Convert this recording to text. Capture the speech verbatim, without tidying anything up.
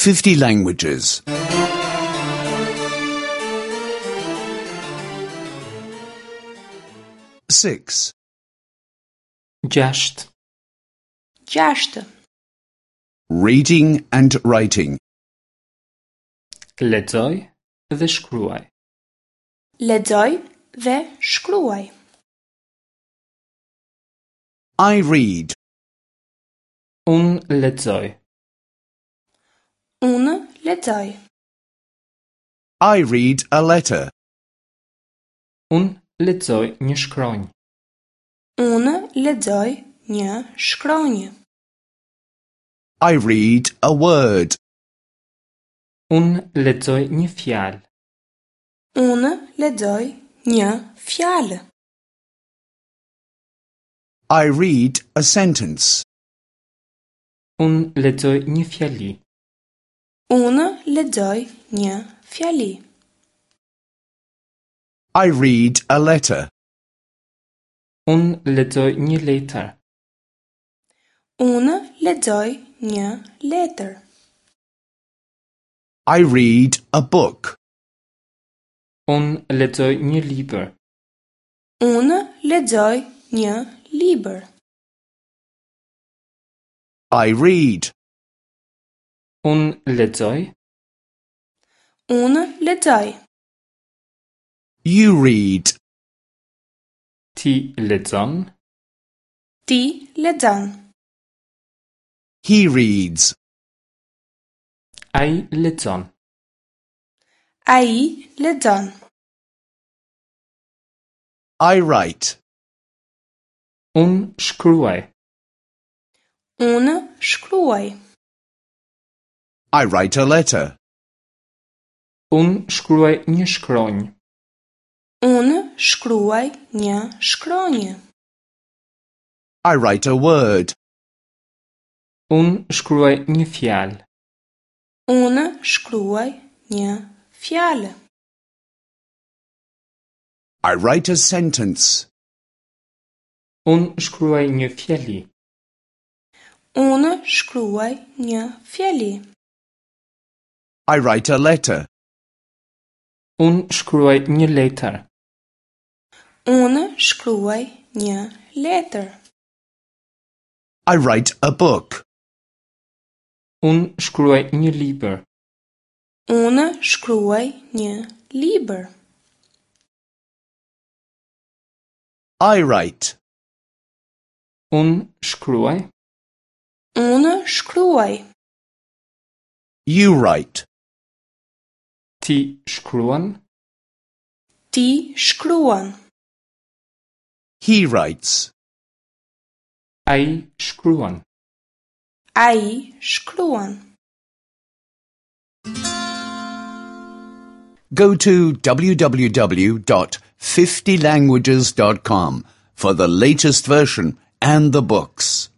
fifty languages. Six. Gjashtë. Gjashtë. Reading and writing. Lexoj dhe shkruaj. Lexoj dhe shkruaj. I read. Unë lexoj. Unë lexoj. I read a letter. Unë lexoj një shkronjë. Unë lexoj një shkronjë. I read a word. Unë lexoj një fjalë. Unë lexoj një fjalë. I read a sentence. Unë lexoj një fjali. Unë lexoj një fjali. I read a letter. Unë lexoj një letër. Unë lexoj një letër. I read a book. Unë lexoj një libër. Unë lexoj një libër. I read. Unë lexoj. Unë lexoj. You read. Ti lexon. Ti lexon. He reads. Ai lexon. Ai lexon. I write. Unë shkruaj. Unë shkruaj. I write a letter. Unë shkruaj një shkronjë. Unë shkruaj një shkronjë. I write a word. Unë shkruaj një fjalë. Unë shkruaj një fjalë. I write a sentence. Unë shkruaj një fjali. Unë shkruaj një fjali. I write a letter. Unë shkruaj një letër. Unë shkruaj një letër. I write a book. Unë shkruaj një libër. Unë shkruaj një libër. I write. Unë shkruaj. Unë shkruaj. You write. Ti shkruan. Ti shkruan. He writes. Ai shkruan. Ai shkruan. Go to w w w dot fifty languages dot com for the latest version and the books.